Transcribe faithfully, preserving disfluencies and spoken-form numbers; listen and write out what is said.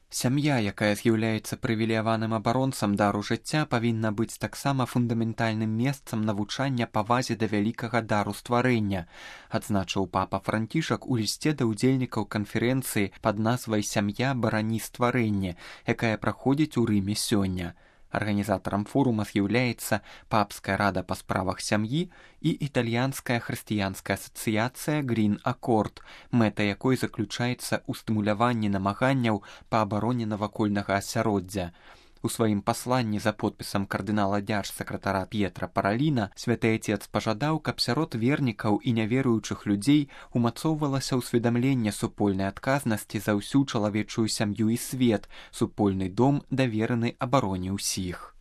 Сям'я, якая з'яўляецца прывілеяваным абаронцам дару жыцця, павінна быць таксама фундаментальным месцам навучання павазе да вялікага дару стварэння, адзначыў папа Францішак у лісце да ўдзельнікаў канферэнцыі пад назвай «Сям'я барані стварэнне», якая праходзіць у Рыме сёння. Арганізатарам форума з'яўляецца Папская рада па справах сям'і і італьянская хрысціянская асацыяцыя Green Accord, мэта якой заключаецца ў стымуляванні намаганняў па абароне навакольнага асяроддзя. У сваім пасланні за подпісам кардынала дзяржсакратара П'етра Параліна святы Айцец пажадаў, каб сярод вернікаў і няверуючых людзей умацоўвалася ўсведамленне супольнай адказнасці за ўсю чалавечую сям'ю і свет, супольны дом, давераны абароне ўсіх.